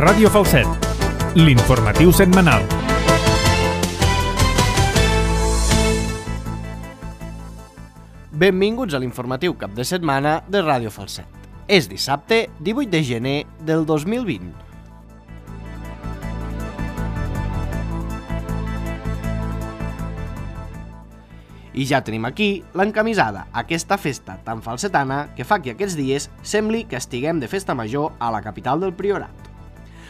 Ràdio Falset, l'informatiu setmanal. Benvinguts a l'informatiu cap de setmana de Ràdio Falset. És dissabte 18 de gener del 2020. I ja tenim aquí l'encamisada, aquesta festa tan falsetana que fa que aquests dies sembli que estiguem de festa major a la capital del Priorat.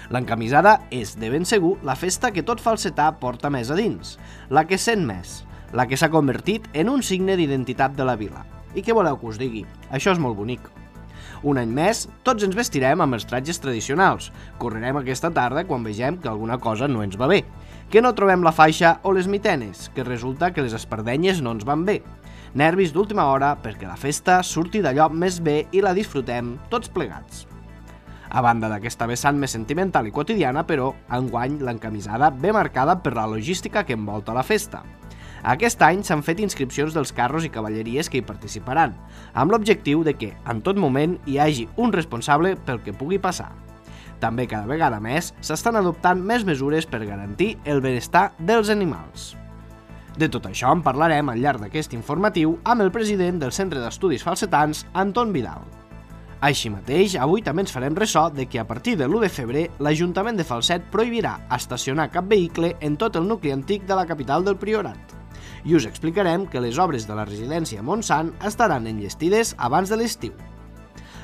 L'encamisada és, de ben segur, la festa que tot falsetà porta més a dins, la que sent més, la que s'ha convertit en un signe d'identitat de la vila. I què voleu que us digui? Això és molt bonic. Un any més, tots ens vestirem amb els tratges tradicionals. Correrem aquesta tarda quan vegem que alguna cosa no ens va bé, que no trobem la faixa o les mitenes, que resulta que les espardenyes no ens van bé. Nervis d'última hora perquè la festa surti d'allò més bé i la disfrutem tots plegats. A banda d'aquesta vessant més sentimental i quotidiana, però, enguany l'encamisada ve marcada per la logística que envolta la festa. Aquest any s'han fet inscripcions dels carros i cavalleries que hi participaran, amb l'objectiu de que, en tot moment, hi hagi un responsable pel que pugui passar. També cada vegada més s'estan adoptant més mesures per garantir el benestar dels animals. De tot això en parlarem al llarg d'aquest informatiu amb el president del Centre d'Estudis Falsetans, Anton Vidal. Així mateix, avui també ens farem ressò de que a partir de l'1 de febrer l'Ajuntament de Falset prohibirà estacionar cap vehicle en tot el nucli antic de la capital del Priorat. I us explicarem que les obres de la residència Montsant estaran enllestides abans de l'estiu.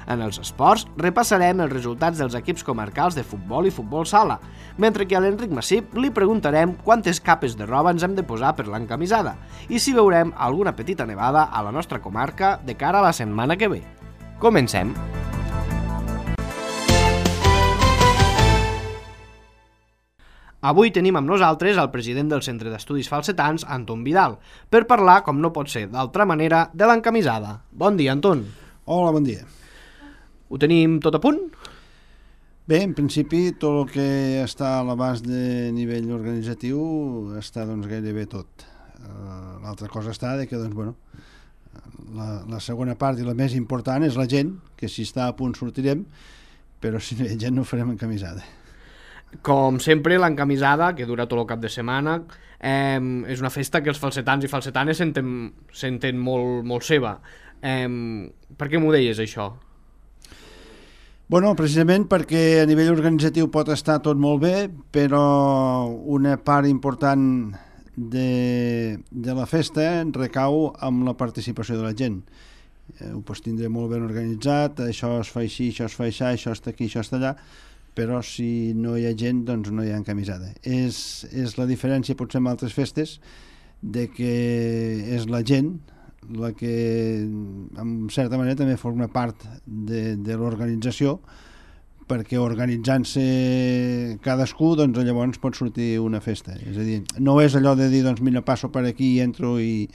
En els esports, repassarem els resultats dels equips comarcals de futbol i futbol sala, mentre que a l'Enric Massip li preguntarem quantes capes de roba ens hem de posar per l'encamisada i si veurem alguna petita nevada a la nostra comarca de cara a la setmana que ve. Comencem! Avui tenim amb nosaltres el president del Centre d'Estudis Falsetans, Anton Vidal, per parlar, com no pot ser d'altra manera, de l'encamisada. Bon dia, Anton. Hola, bon dia. Ho tenim tot a punt? Bé, en principi, tot el que està a l'abast de nivell organitzatiu està gairebé tot. L'altra cosa està que, la segona part i la més important és la gent, que si està a punt sortirem, però si no hi ha gent no farem encamisada. Com sempre, l'encamisada, que dura tot el cap de setmana, és una festa que els falsetans i falsetanes senten molt seva. Per què m'ho deies, això? Bueno, precisament perquè a nivell organitzatiu pot estar tot molt bé, però una part important de la festa recau amb la participació de la gent. Ho pots tindre molt ben organitzat, això es fa així, això es fa així, això està aquí, això està allà, però si no hi ha gent, doncs no hi ha encamisada. És la diferència, potser amb altres festes, de que és la gent la que, en certa manera, també forma part de l'organització, perquè organitzant-se cadascú, doncs llavors pot sortir una festa. És a dir, no és allò de dir, doncs mira, passo per aquí, entro i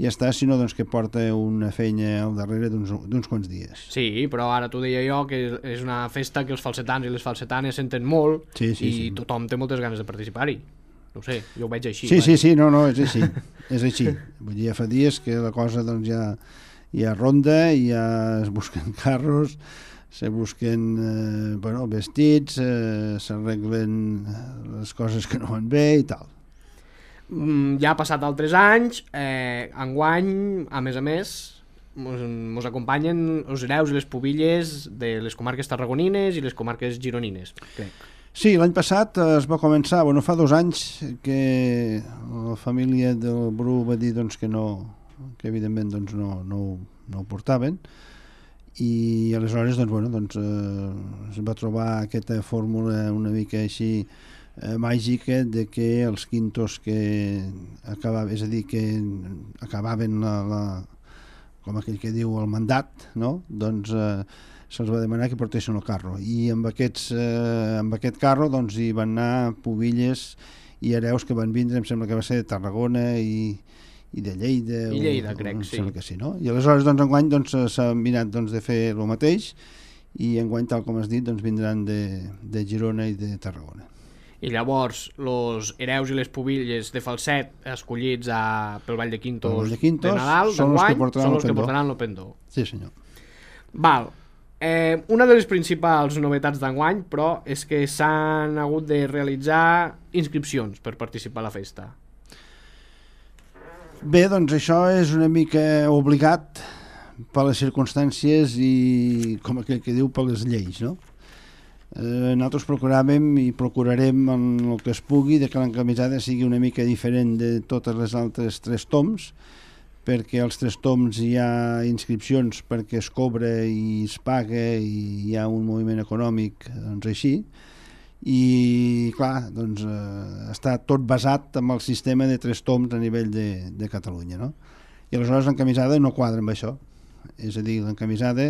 ja està, sinó que porta una feina al darrere d'uns quants dies. Sí, però ara t'ho deia jo, que és una festa que els falsetans i les falsetanes senten molt, i tothom té moltes ganes de participar-hi. No ho sé, jo ho veig així. Sí, no, és així. És així. Vull dir, ja fa dies que la cosa ja ronda, i ja es busquen carros, se busquen vestits, s'arreglen les coses que no van bé i tal. Ja ha passat altres anys, enguany, a més, mos acompanyen els hereus i les pubilles de les comarques tarragonines i les comarques gironines, crec. Sí, l'any passat es va començar, fa 2 anys que la família del Bru va dir que evidentment no ho portaven, i aleshores es va trobar aquesta fórmula una mica així màgica de que els quintos que acabaven, és a dir, que acabaven com aquell que diu el mandat, no? Doncs se'ls va demanar que portessin el carro, i amb aquest carro hi van anar pubilles i hereus que van vindre, em sembla que va ser de Tarragona i de Lleida. I Lleida, crec, sí. Sembla que sí, no? I aleshores enguany s'ha mirat de fer el mateix, i enguany, tal com has dit, vindran de Girona i de Tarragona. I llavors, els hereus i les pubilles de Falset escollits pel Ball de Quintos de Nadal, són els que portaran el pendó. Sí, senyor. Val. Una de les principals novetats d'enguany, però, és que s'han hagut de realitzar inscripcions per participar a la festa. Bé, doncs això és una mica obligat per les circumstàncies i, com aquell que diu, per les lleis, no? Nosaltres procuràvem i procurarem en el que es pugui de que l'encamisada sigui una mica diferent de totes les altres 3 toms, perquè als 3 toms hi ha inscripcions perquè es cobra i es paga i hi ha un moviment econòmic, doncs així, i clar, doncs està tot basat en el sistema de 3 toms a nivell de Catalunya, no? I aleshores l'encamisada no quadra amb això. És a dir, l'encamisada,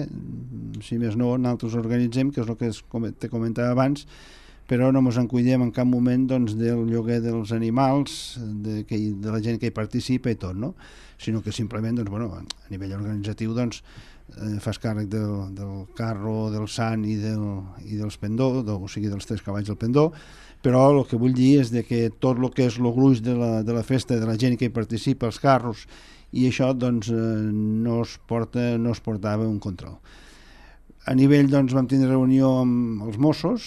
si més no, nosaltres organitzem, que és el que te comentava abans, però no ens en cuidem en cap moment doncs, del lloguer dels animals, de la gent que hi participa i tot, no? Sinó que simplement doncs, bueno, a nivell organitzatiu doncs, fas càrrec del carro, del sant i dels pendó, o sigui, dels 3 cavalls del pendó, però el que vull dir és de que tot el que és el gruix de la festa, de la gent que hi participa, els carros, i això doncs, no es portava un control. A nivell doncs, vam tindre reunió amb els Mossos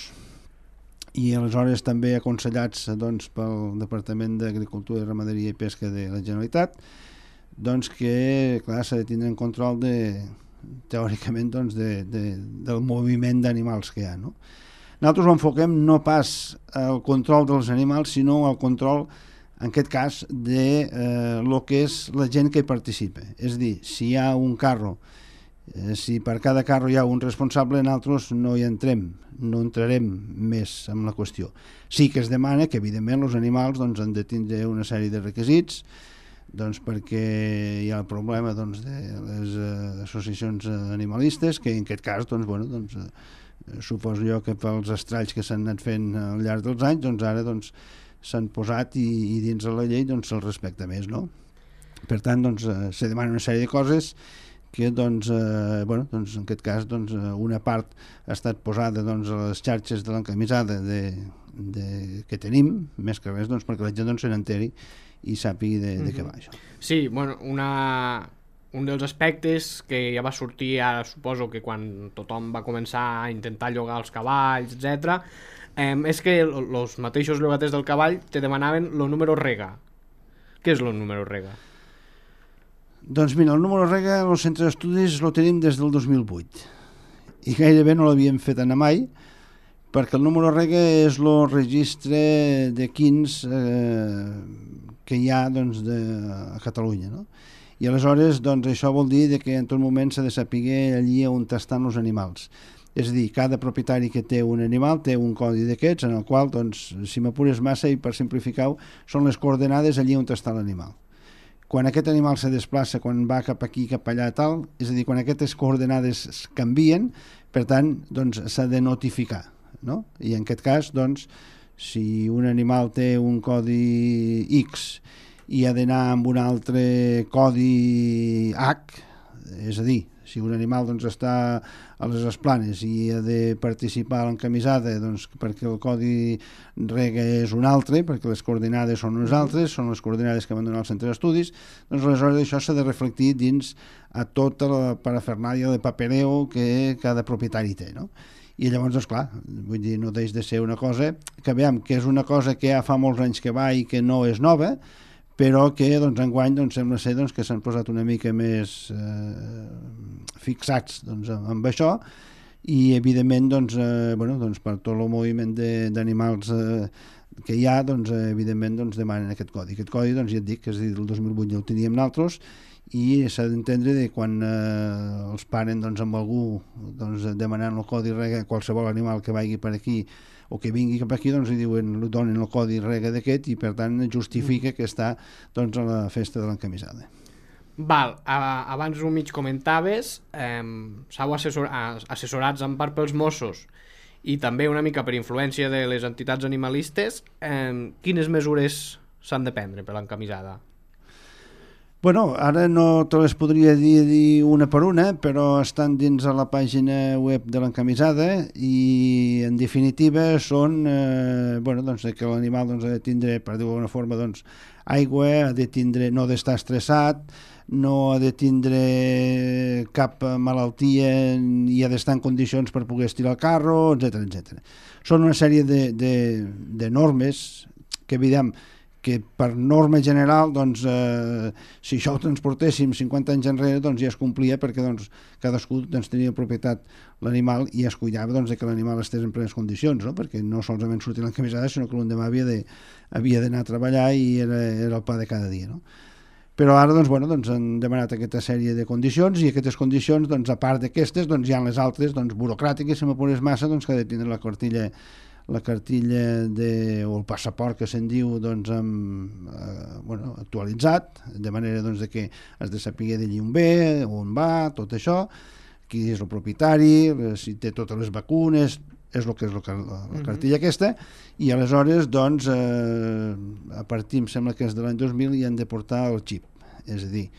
i aleshores també aconsellats doncs, pel Departament d'Agricultura, Ramaderia i Pesca de la Generalitat, doncs que clar, s'ha de tindre en control teòricament doncs, del moviment d'animals que hi ha, no? Nosaltres ho enfoquem no pas al control dels animals, sinó al control, en aquest cas, de lo que és la gent que hi participa. És a dir, si hi ha un carro, si per cada carro hi ha un responsable, nosaltres no hi entrem, no entrarem més en la qüestió. Sí que es demana que, evidentment, els animals doncs, han de tindre una sèrie de requisits, doncs, perquè hi ha el problema doncs, de les associacions animalistes, que en aquest cas, doncs, bueno, doncs, suposo jo que pels estralls que s'han anat fent al llarg dels anys, doncs ara doncs, s'han posat i dins de la llei doncs, se'l respecta més, no? Per tant, doncs, se demana una sèrie de coses que doncs, bueno, doncs, en aquest cas doncs, una part ha estat posada doncs, a les xarxes de l'encamisada que tenim, més que res doncs, perquè la gent doncs, se n'enteri i sàpigui de què va això. Sí, bueno, un dels aspectes que ja va sortir ara, suposo que quan tothom va començar a intentar llogar els cavalls, etc., és que els mateixos llogaters del cavall te demanaven el número rega. Què és el número rega? Doncs mira, el número rega en el centre d'estudis el tenim des del 2008 i gairebé no l'havíem fet anar mai, perquè el número rega és el registre de quins que hi ha doncs, a Catalunya, no? I aleshores doncs, això vol dir que en tot moment s'ha de saber allí on estan els animals. És a dir, cada propietari que té un animal té un codi d'aquests en el qual, doncs, si m'apures massa i per simplificar-ho, són les coordenades allí on està l'animal. Quan aquest animal se desplaça, quan va cap aquí, cap allà, tal, és a dir, quan aquestes coordenades canvien, per tant, doncs, s'ha de notificar, no? I en aquest cas, doncs, si un animal té un codi X i ha d'anar amb un altre codi H, és a dir, si un animal doncs, està a les Esplanes i ha de participar a l'encamisada doncs, perquè el codi rega és un altre, perquè les coordinades són unes altres, són les coordinades que van donar al centre d'estudis, doncs aleshores això s'ha de reflectir dins a tota la parafernàlia de papereo que cada propietari té, no? I llavors, doncs, clar, vull dir, no deix de ser una cosa que veiem que és una cosa que ja fa molts anys que va i que no és nova, però que doncs, enguany doncs, sembla ser doncs, que s'han posat una mica més fixats doncs, amb això i evidentment doncs, bueno, doncs, per tot el moviment d'animals que hi ha doncs, evidentment doncs, demanen aquest codi. Aquest codi doncs, ja et dic que és a dir, el 2008 ja el teníem nosaltres i s'ha d'entendre que quan els paren doncs, amb algú doncs, demanant el codi rega qualsevol animal que vagi per aquí o que vingui cap aquí, doncs li diuen, li donen el codi rega d'aquest i per tant justifica que està doncs, a la festa de l'encamisada. Val, abans ho mig comentaves, s'heu assessorats en part pels Mossos i també una mica per influència de les entitats animalistes, quines mesures s'han de prendre per l'encamisada? Bueno, ara no te les podria dir una per una, però estan dins a la pàgina web de l'encamisada i en definitiva són bueno, doncs, que l'animal doncs, ha de tindre, per dir-ho d'alguna forma, doncs, aigua, ha de tindre, no d'estar estressat, no ha de tindre cap malaltia i ha d'estar en condicions per poder estirar el carro, etc. Són una sèrie de normes que, evident, que per norma general, doncs, si això ho transportéssim 50 anys enrere, doncs ja es complia perquè doncs, cadascú doncs, tenia propietat l'animal i es cuidava doncs, que l'animal estés en plenes condicions, no? Perquè no solament sortia l'encamisada, sinó que l'endemà havia d'anar a treballar i era el pa de cada dia. No? Però ara doncs, doncs, han demanat aquesta sèrie de condicions i aquestes condicions, doncs, a part d'aquestes, doncs, hi ha les altres doncs, burocràtiques, si m'apures massa, doncs, que ha de tindre la cartilla o el passaport que se'n diu doncs, actualitzat, de manera doncs, de que has de saber d'allí on ve, on va, tot això, qui és el propietari, si té totes les vacunes, és el que és la cartilla aquesta, i aleshores doncs, a partir, em sembla que és de l'any 2000, hi han de portar el xip, és a dir,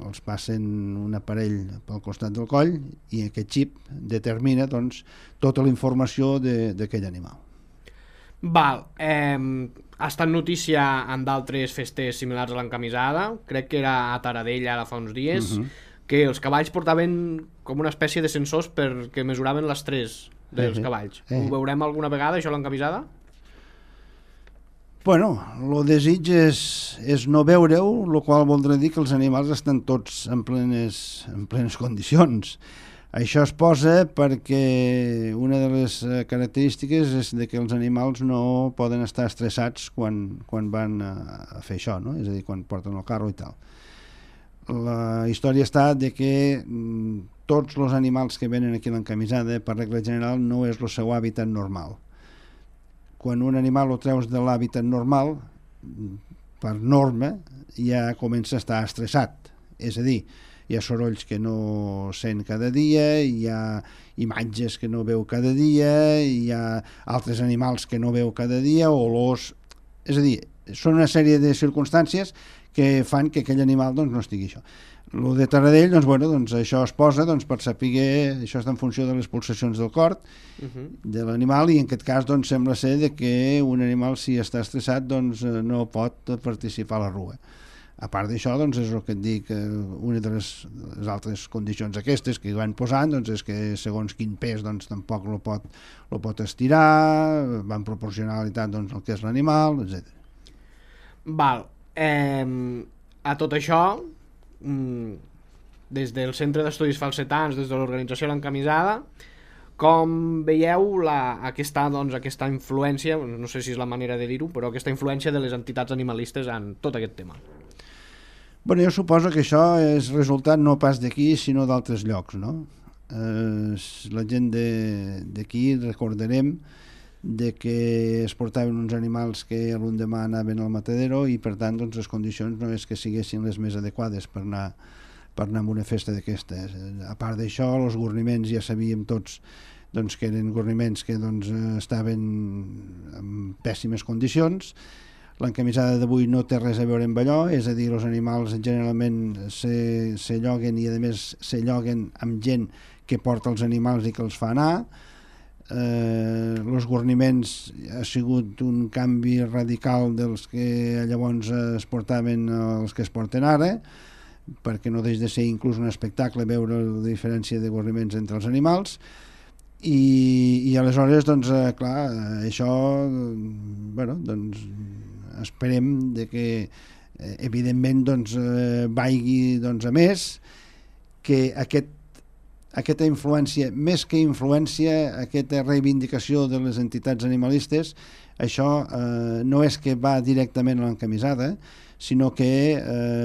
els passen un aparell pel costat del coll i aquest xip determina doncs, tota la informació d'aquell animal. Val, ha estat notícia en d'altres festes similars a l'encamisada, crec que era a Taradell ara fa uns dies, que els cavalls portaven com una espècie de sensors perquè mesuraven l'estrès dels cavalls. Ho veurem alguna vegada, això a l'encamisada? Bueno, el desig és no veure-ho, el qual voldrà dir que els animals estan tots en plenes condicions. Això es posa perquè una de les característiques és que els animals no poden estar estressats quan van a fer això, no? És a dir, quan porten el carro i tal. La història està de que tots els animals que venen aquí a l'encamisada, per regla general, no és el seu hàbitat normal. Quan un animal ho treus de l'hàbitat normal, per norma, ja comença a estar estressat. És a dir, hi ha sorolls que no sent cada dia, hi ha imatges que no veu cada dia, hi ha altres animals que no veu cada dia, olors... És a dir, són una sèrie de circumstàncies que fan que aquell animal doncs, no estigui això. El de Taradell, doncs, això es posa per saber, això està en funció de les pulsacions del cor de l'animal, i en aquest cas doncs, sembla ser que un animal, si està estressat, doncs, no pot participar a la rua. A part d'això, doncs, és el que et dic, una de les altres condicions aquestes que van posant doncs, és que segons quin pes doncs, tampoc lo pot estirar, van proporcionalitat doncs, el que és l'animal, etc. Val. A tot això, des del Centre d'Estudis Falsetans, des de l'organització L'Encamisada, com veieu aquesta influència, no sé si és la manera de dir-ho, però aquesta influència de les entitats animalistes en tot aquest tema? Bueno, jo suposo que això és resultat no pas d'aquí, sinó d'altres llocs, no? La gent d'aquí recordarem de que es portaven uns animals que l'endemà anaven al matadero i per tant doncs, les condicions no és que siguessin les més adequades per anar a una festa d'aquestes. A part d'això, els gorniments ja sabíem tots doncs, que eren gorniments que doncs, estaven en pèssimes condicions. L'encamisada d'avui no té res a veure amb allò, és a dir, els animals generalment se lloguen i a més se lloguen amb gent que porta els animals i que els fa anar. Els gorniments ha sigut un canvi radical dels que llavors es portaven els que es porten ara, perquè no deixa de ser inclús un espectacle veure la diferència de gorniments entre els animals i aleshores doncs clar, això doncs esperem de que evidentment doncs vagi doncs a més, que aquesta influència, més que influència, aquesta reivindicació de les entitats animalistes, això no és que va directament a l'encamisada, sinó que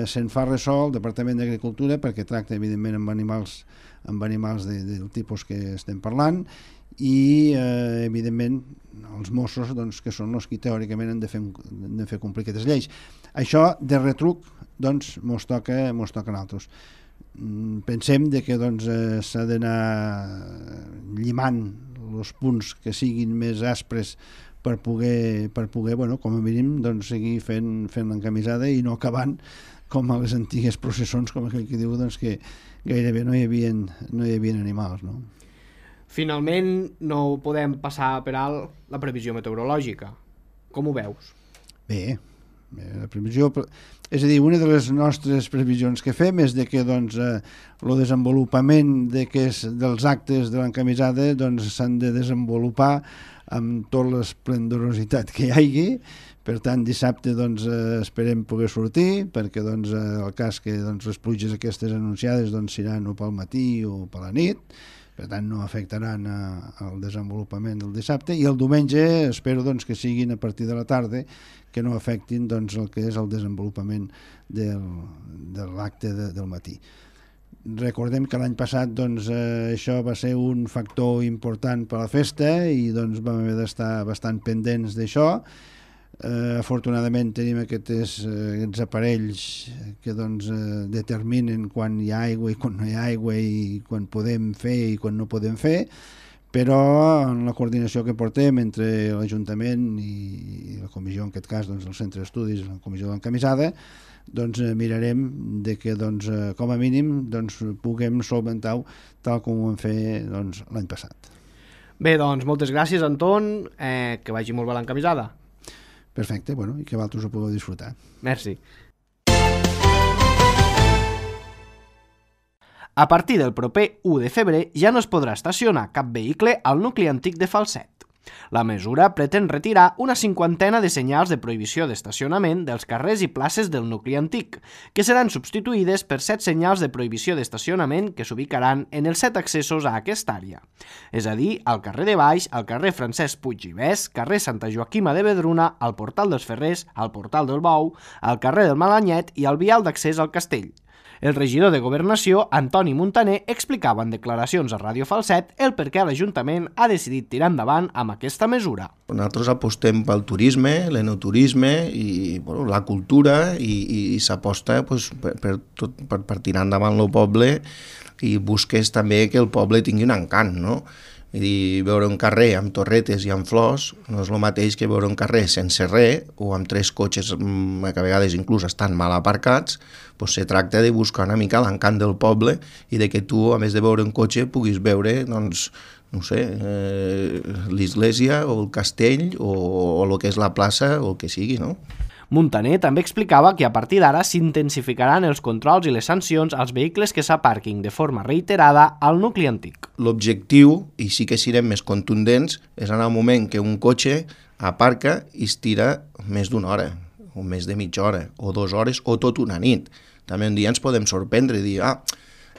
se'n fa ressò al Departament d'Agricultura perquè tracta evidentment amb animals del tipus que estem parlant i evidentment els Mossos doncs, que són els que teòricament han de fer complir aquestes lleis. Això de retruc doncs mos toca a nosaltres. Pensem que doncs, s'ha d'anar llimant els punts que siguin més aspres per poder com a mínim doncs, seguir fent l'encamisada i no acabant com a les antigues processons, com aquell que diu doncs, que gairebé no hi havia animals, no? Finalment no podem passar per alt la previsió meteorològica. Com ho veus? Bé, La previsió, és a dir, una de les nostres previsions que fem és de que doncs, el desenvolupament dels actes de l'encamisada s'han de desenvolupar amb tota l'esplendorositat que hi hagi. Per tant, dissabte esperem poder sortir, perquè el cas que les pluges aquestes anunciades seran o pel matí o per la nit, per tant no afectaran el desenvolupament del dissabte, i el diumenge espero que siguin a partir de la tarda, que no afectin el que és el desenvolupament de l'acte del matí. Recordem que l'any passat això va ser un factor important per a la festa i vam haver d'estar bastant pendents d'això. Afortunadament tenim aquests aparells que determinen quan hi ha aigua i quan no hi ha aigua i quan podem fer i quan no podem fer, però en la coordinació que portem entre l'Ajuntament i la comissió, en aquest cas el Centre d'Estudis, la comissió de l'encamisada, mirarem de que com a mínim puguem solventar-ho tal com ho vam fer l'any passat. Bé, moltes gràcies, Anton, que vagi molt bé l'encamisada. Perfecte, i que vosaltres ho pugueu disfrutar. Merci. A partir del proper 1 de febrer ja no es podrà estacionar cap vehicle al nucli antic de Falset. La mesura pretén retirar una 50ena de senyals de prohibició d'estacionament dels carrers i places del nucli antic, que seran substituïdes per 7 senyals de prohibició d'estacionament que s'ubicaran en els 7 accessos a aquesta àrea. És a dir, al carrer de Baix, al carrer Francesc Puig i Bès, carrer Santa Joaquima de Vedruna, al portal dels Ferrers, al portal del Bou, al carrer del Malanyet i al vial d'accés al castell. El regidor de Governació, Antoni Muntaner, explicava en declaracions a Ràdio Falset el per què l'Ajuntament ha decidit tirar endavant amb aquesta mesura. Nosaltres apostem pel turisme, l'enoturisme i la cultura i s'aposta per tirar endavant el poble i busques també que el poble tingui un encant, no? Vull dir, veure un carrer amb torretes i amb flors no és el mateix que veure un carrer sense res o amb 3 cotxes que a vegades inclús estan mal aparcats. Se tracta de buscar una mica l'encant del poble i de que tu, a més de veure un cotxe, puguis veure, l'església o el castell o el que és la plaça o el que sigui, no? Muntaner també explicava que a partir d'ara s'intensificaran els controls i les sancions als vehicles que s'aparquin de forma reiterada al nucli antic. L'objectiu, i sí que serem més contundents, és en el moment que un cotxe aparca i es tira més d'una hora, o més de mitja hora, o 2 hores, o tot una nit. També un dia ens podem sorprendre i dir,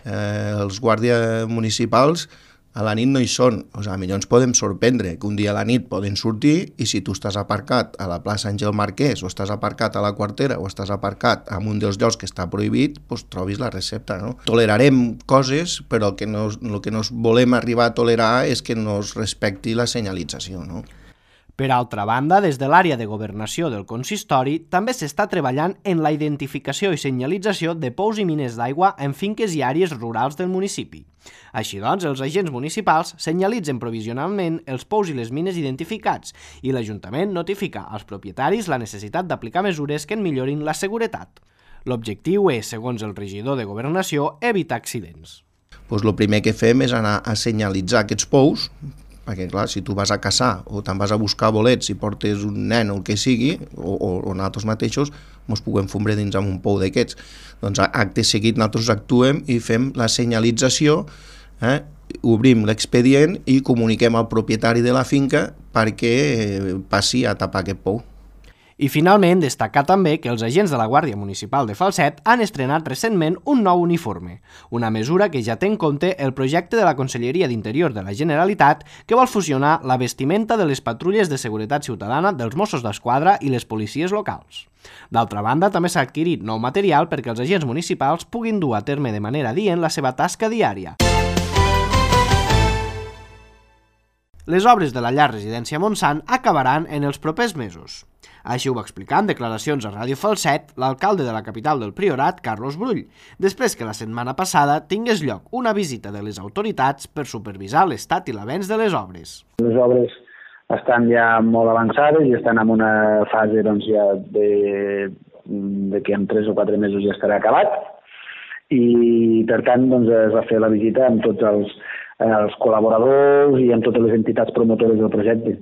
els guàrdies municipals a la nit no hi són. Millor ens podem sorprendre que un dia a la nit poden sortir i si tu estàs aparcat a la plaça Àngel Marquès o estàs aparcat a la Quartera o estàs aparcat en un dels llocs que està prohibit, trobis la recepta, no? Tolerarem coses, però el que no volem arribar a tolerar és que no es respecti la senyalització, no? Per altra banda, des de l'àrea de governació del consistori també s'està treballant en la identificació i senyalització de pous i mines d'aigua en finques i àrees rurals del municipi. Així doncs, els agents municipals senyalitzen provisionalment els pous i les mines identificats i l'Ajuntament notifica als propietaris la necessitat d'aplicar mesures que en millorin la seguretat. L'objectiu és, segons el regidor de Governació, evitar accidents. El primer que fem és anar a senyalitzar aquests pous, perquè clar, si tu vas a caçar o te'n vas a buscar bolets i portes un nen o el que sigui, o nosaltres mateixos ens puguem fondre dins amb un pou d'aquests. Doncs acte seguit nosaltres actuem i fem la senyalització, obrim l'expedient i comuniquem al propietari de la finca perquè passi a tapar aquest pou. I finalment, destacar també que els agents de la Guàrdia Municipal de Falset han estrenat recentment un nou uniforme, una mesura que ja té en compte el projecte de la Conselleria d'Interior de la Generalitat que vol fusionar la vestimenta de les patrulles de seguretat ciutadana dels Mossos d'Esquadra i les policies locals. D'altra banda, també s'ha adquirit nou material perquè els agents municipals puguin dur a terme de manera adient la seva tasca diària. Les obres de la llar residència Montsant acabaran en els propers mesos. Així ho va explicar en declaracions a Ràdio Falset l'alcalde de la capital del Priorat, Carlos Brull, després que la setmana passada tingués lloc una visita de les autoritats per supervisar l'estat i l'avenç de les obres. Les obres estan ja molt avançades i estan en una fase ja de que en 3 o 4 mesos ja estarà acabat i per tant es va fer la visita amb tots els col·laboradors i amb totes les entitats promotores del projecte.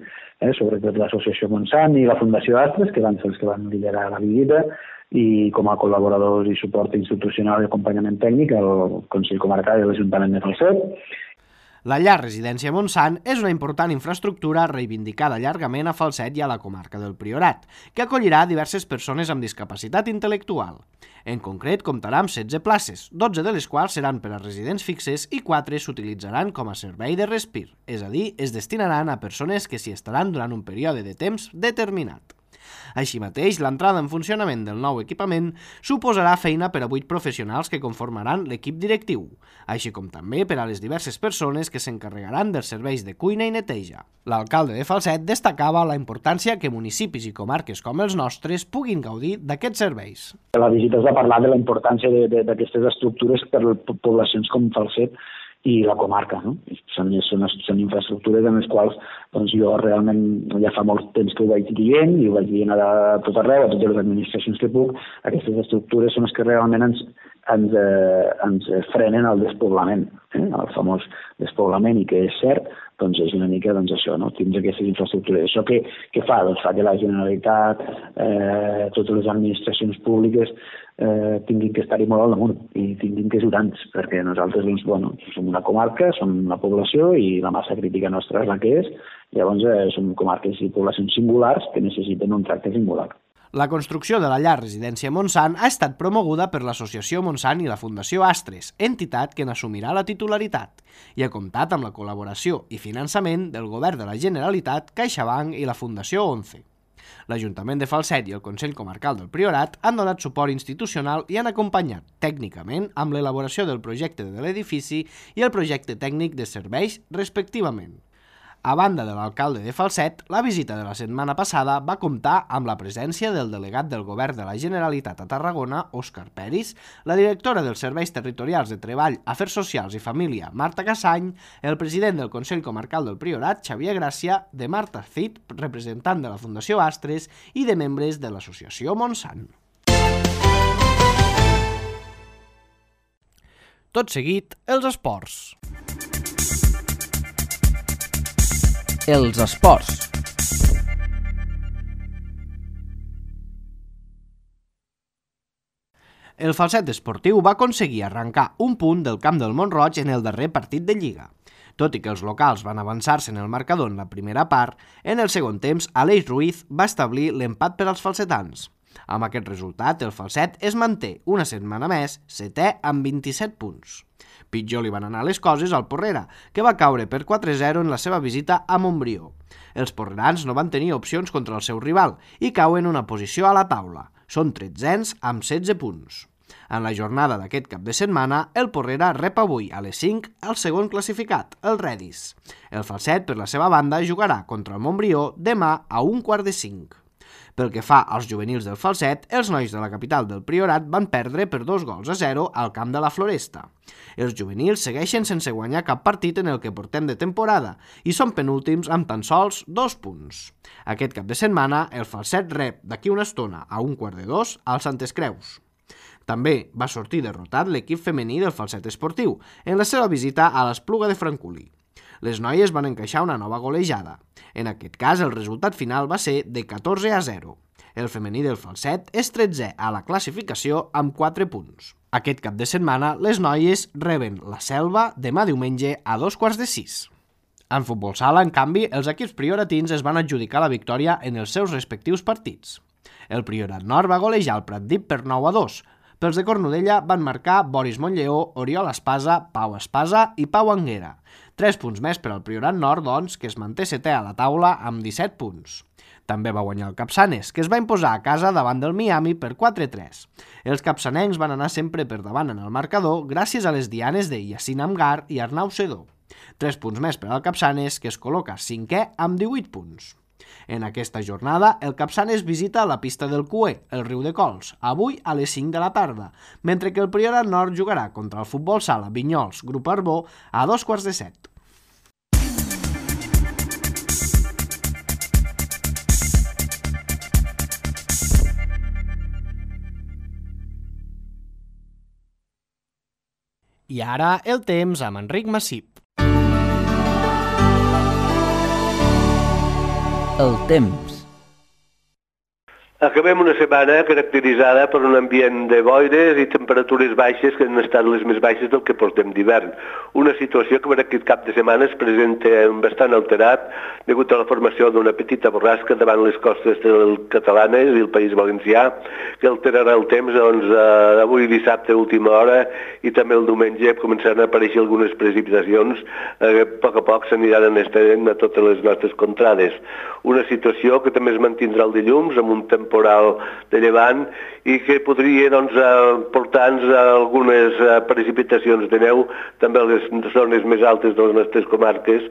sobretot l'associació Montsant i la Fundació Astres, que van ser els que van liderar la visita, i com a col·laboradors i suport institucional i acompanyament tècnic el Consell Comarcal i l'Ajuntament de Falset. La llar Residència Montsant és una important infraestructura reivindicada llargament a Falset i a la comarca del Priorat, que acollirà diverses persones amb discapacitat intel·lectual. En concret, comptarà amb 16 places, 12 de les quals seran per a residents fixes i 4 s'utilitzaran com a servei de respir, és a dir, es destinaran a persones que s'hi estaran durant un període de temps determinat. Així mateix, l'entrada en funcionament del nou equipament suposarà feina per a 8 professionals que conformaran l'equip directiu, així com també per a les diverses persones que s'encarregaran dels serveis de cuina i neteja. L'alcalde de Falset destacava la importància que municipis i comarques com els nostres puguin gaudir d'aquests serveis. A la visita es va parlar de la importància d'aquestes estructures per a poblacions com Falset i la comarca, no? Són infraestructures en les quals doncs, jo realment ja fa molt temps que ho vaig dient i ho vaig dient a tot arreu, a totes les administracions que puc. Aquestes estructures són les que realment ens frenen el despoblament, el famós despoblament, i que és cert, doncs és una mica això, no? Tindre aquestes infraestructures. Això què fa? Doncs fa que la Generalitat, totes les administracions públiques tinguin que estar-hi molt al damunt i tinguin que ajudar-nos, perquè nosaltres som una comarca, som una població i la massa crítica nostra és la que és. Llavors som comarques i poblacions singulars que necessiten un tracte singular. La construcció de la llar Residència Montsant ha estat promoguda per l'Associació Montsant i la Fundació Astres, entitat que n'assumirà la titularitat, i ha comptat amb la col·laboració i finançament del Govern de la Generalitat, CaixaBank i la Fundació 11. L'Ajuntament de Falset i el Consell Comarcal del Priorat han donat suport institucional i han acompanyat tècnicament amb l'elaboració del projecte de l'edifici i el projecte tècnic de serveis, respectivament. A banda de l'alcalde de Falset, la visita de la setmana passada va comptar amb la presència del delegat del Govern de la Generalitat a Tarragona, Òscar Peris, la directora dels Serveis Territorials de Treball, Afers Socials i Família, Marta Cassany, el president del Consell Comarcal del Priorat, Xavier Gràcia, de Marta Cid, representant de la Fundació Astres, i de membres de l'Associació Montsant. Tot seguit, els esports. Els esports. El Falset Esportiu va aconseguir arrencar un punt del camp del Mont-roig en el darrer partit de Lliga. Tot i que els locals van avançar-se en el marcador en la primera part, en el segon temps Aleix Ruiz va establir l'empat per als falsetans. Amb aquest resultat, el Falset es manté una setmana més setè amb 27 punts. Pitjor li van anar les coses al Porrera, que va caure per 4-0 en la seva visita a Montbrió. Els porrerans no van tenir opcions contra el seu rival i cauen una posició a la taula. Són 13ens amb 16 punts. En la jornada d'aquest cap de setmana, el Porrera rep avui a les 5 el segon classificat, el Redis. El Falset, per la seva banda, jugarà contra el Montbrió demà a 1:45. Pel que fa als juvenils del Falset, els nois de la capital del Priorat van perdre per 2-0 al camp de la Floresta. Els juvenils segueixen sense guanyar cap partit en el que portem de temporada i són penúltims amb tan sols 2 punts. Aquest cap de setmana, el Falset rep d'aquí una estona a 1:15 al Santes Creus. També va sortir derrotat l'equip femení del Falset Esportiu en la seva visita a l'Espluga de Francolí. Les noies van encaixar una nova golejada. En aquest cas, el resultat final va ser de 14-0. El femení del Falset és 13è a la classificació amb 4 punts. Aquest cap de setmana, les noies reben la Selva demà diumenge a 2:15. En futbol sala, en canvi, els equips prioratins es van adjudicar la victòria en els seus respectius partits. El Priorat Nord va golejar el Pratdip per 9-2. Pels de Cornudella van marcar Boris Montlleó, Oriol Espasa, Pau Espasa i Pau Anguera. 3 punts més per al Priorat Nord, doncs, que es manté setè a la taula amb 17 punts. També va guanyar el Capçanes, que es va imposar a casa davant del Miami per 4-3. Els capçanencs van anar sempre per davant en el marcador gràcies a les dianes de Yacine Amgar i Arnau Sedó. 3 punts més per al Capçanes, que es col·loca 5è amb 18 punts. En aquesta jornada, el Capçanes visita la pista del Cué, el Riu de Cols, avui a les 5 de la tarda, mentre que el Priorat Nord jugarà contra el Futbol Sala Vinyols Grup Arbó a 2:15. I ara el temps amb Enric Massip. El temps. Acabem una setmana caracteritzada per un ambient de boires i temperatures baixes que han estat les més baixes del que portem d'hivern. Una situació que per aquest cap de setmana es presenta bastant alterat degut a la formació d'una petita borrasca davant les costes catalanes i el País Valencià, que alterarà el temps avui dissabte a última hora i també el diumenge començaran a aparèixer algunes precipitacions que a poc s'aniran estenent a totes les nostres contrades. Una situació que també es mantindrà el dilluns amb un temporal de llevant i que podria portar-nos algunes precipitacions de neu també a les zones més altes de les nostres comarques,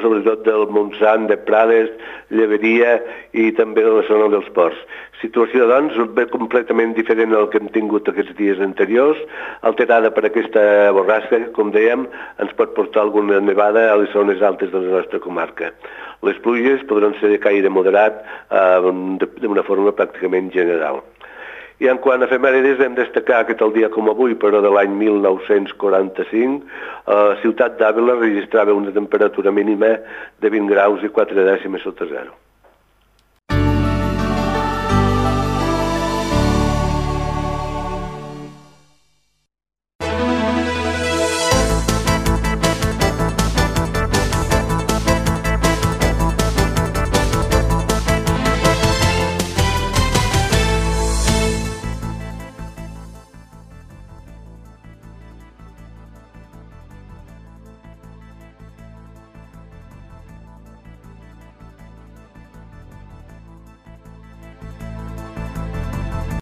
sobretot del Montsant, de Prades, Lleberia i també de la zona dels ports. Situació, doncs, completament diferent al que hem tingut aquests dies anteriors, alterada per aquesta borrasca que, com dèiem, ens pot portar alguna nevada a les zones altes de la nostra comarca. Les pluges podran ser de caire moderat d'una forma pràcticament general. I en quant a efemèrides, hem destacar que tal dia com avui, però de l'any 1945, la ciutat d'Àvila registrava una temperatura mínima de 20 graus i 4 dècimes sota zero.